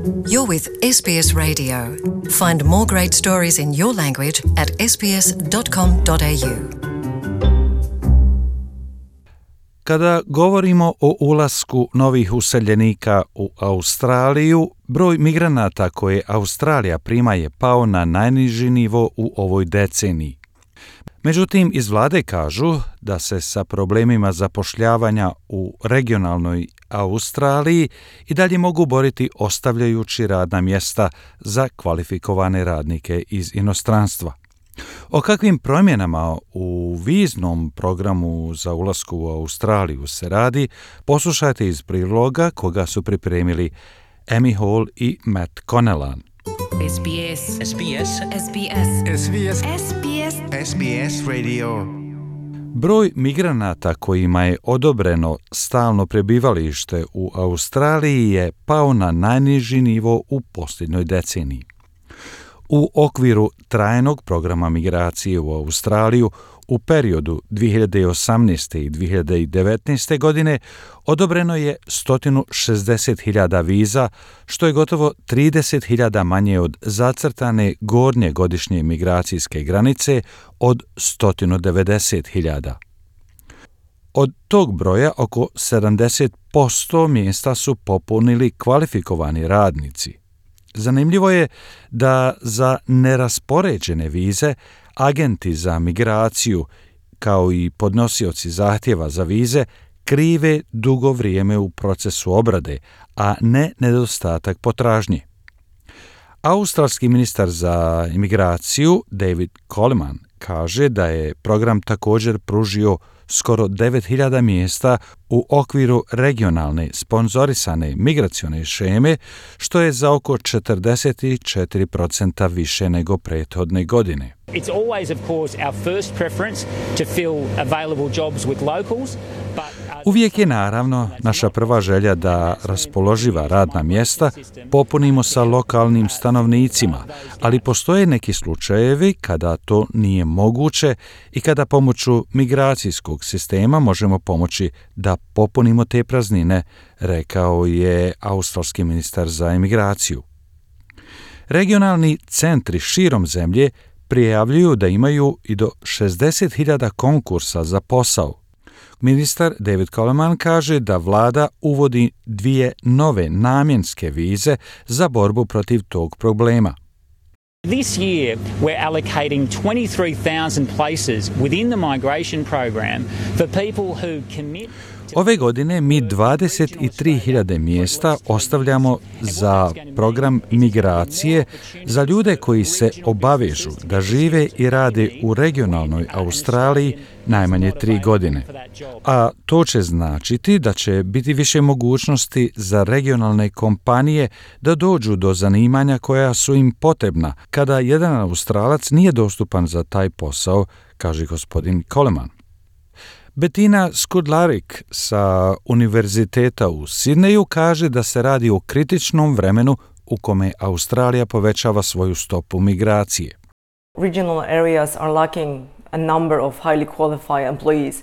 You're with SBS Radio. Find more great stories in your language at sbs.com.au. Kada govorimo o ulasku novih useljenika u Australiju, broj migranata koje Australija prima je pao na najniži nivo u ovoj deceniji. Međutim, iz vlade kažu da se sa problemima zapošljavanja u regionalnoj Australiji i dalje mogu boriti ostavljajući radna mjesta za kvalifikovane radnike iz inostranstva. O kakvim promjenama u viznom programu za ulasku u Australiju se radi, poslušajte iz priloga koga su pripremili Amy Hall i Matt Connellan. SBS SBS SBS SBS SBS SBS Radio. Broj migranata kojima je odobreno stalno prebivalište u Australiji je pao na najniži nivo u posljednjoj deceniji. U okviru trajnog programa migracije u Australiju u periodu 2018. i 2019. godine odobreno je 160.000 viza, što je gotovo 30.000 manje od zacrtane gornje godišnje migracijske granice od 190.000. Od tog broja oko 70% mjesta su popunili kvalifikovani radnici. Zanimljivo je da za neraspoređene vize agenti za migraciju, kao i podnosioci zahtjeva za vize, krive dugo vrijeme u procesu obrade, a ne nedostatak potražnje. Australski ministar za imigraciju David Coleman kaže da je program također pružio skoro 9.000 mjesta u okviru regionalne sponzorisane migracione šeme, što je za oko 44% više nego prethodne godine. It's always, of course, our first preference to fill available jobs with locals. Uvijek je naravno naša prva želja da raspoloživa radna mjesta popunimo sa lokalnim stanovnicima, ali postoje neki slučajevi kada to nije moguće i kada pomoću migracijskog sistema možemo pomoći da popunimo te praznine, rekao je australski ministar za imigraciju. Regionalni centri širom zemlje prijavljuju da imaju i do 60.000 konkursa za posao. Ministar David Coleman kaže da vlada uvodi 2 nove namjenske vize za borbu protiv tog problema. This year, we're allocating 23,000 places within the migration program for people who commit. Ove godine mi 23.000 mjesta ostavljamo za program migracije za ljude koji se obavežu da žive i rade u regionalnoj Australiji najmanje 3 godine. A to će značiti da će biti više mogućnosti za regionalne kompanije da dođu do zanimanja koja su im potrebna kada jedan Australac nije dostupan za taj posao, kaže gospodin Coleman. Bettina Skudlarik sa Univerziteta u Sidneju kaže da se radi o kritičnom vremenu u kome Australija povećava svoju stopu migracije. Regional areas are lacking a number of highly qualified employees.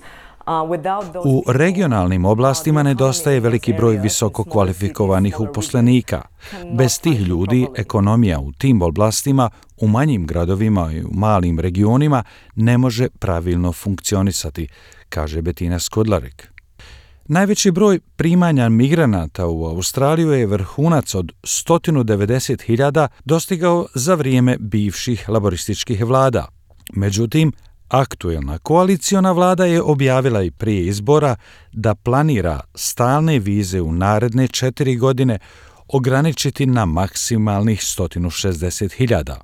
U regionalnim oblastima nedostaje veliki broj visoko kvalifikovanih uposlenika. Bez tih ljudi ekonomija u tim oblastima, u manjim gradovima i u malim regionima ne može pravilno funkcionisati, kaže Bettina Skudlarik. Najveći broj primanja migranata u Australiju je vrhunac od 190.000 dostigao za vrijeme bivših laborističkih vlada. Međutim, aktuelna koaliciona vlada je objavila i prije izbora da planira stalne vize u naredne 4 godine ograničiti na maksimalnih 160.000.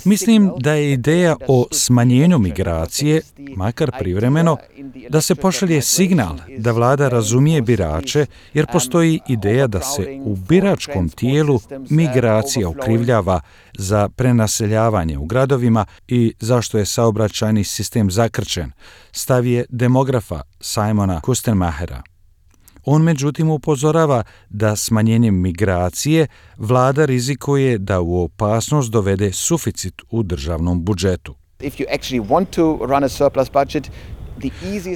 Mislim da je ideja o smanjenju migracije, makar privremeno, da se pošalje signal da vlada razumije birače, jer postoji ideja da se u biračkom tijelu migracija okrivljava za prenaseljavanje u gradovima i zašto je saobraćajni sistem zakrčen, stav je demografa Simona Kustenmachera. On međutim upozorava da smanjenjem migracije vlada rizikuje da u opasnost dovede suficit u državnom budžetu. If you actually want to run a surplus budget,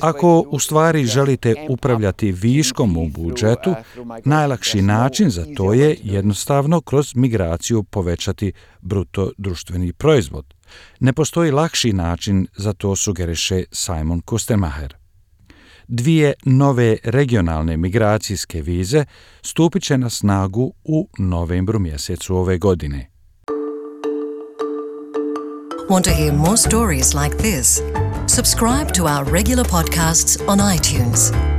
Ako u stvari želite upravljati viškom u budžetu, najlakši način za to je jednostavno kroz migraciju povećati bruto društveni proizvod. Ne postoji lakši način za to, sugeriše Simon Kustenmacher. 2 nove regionalne migracijske vize stupit će na snagu u novembru mjesecu ove godine. Want to hear more stories like this? Subscribe to our regular podcasts on iTunes.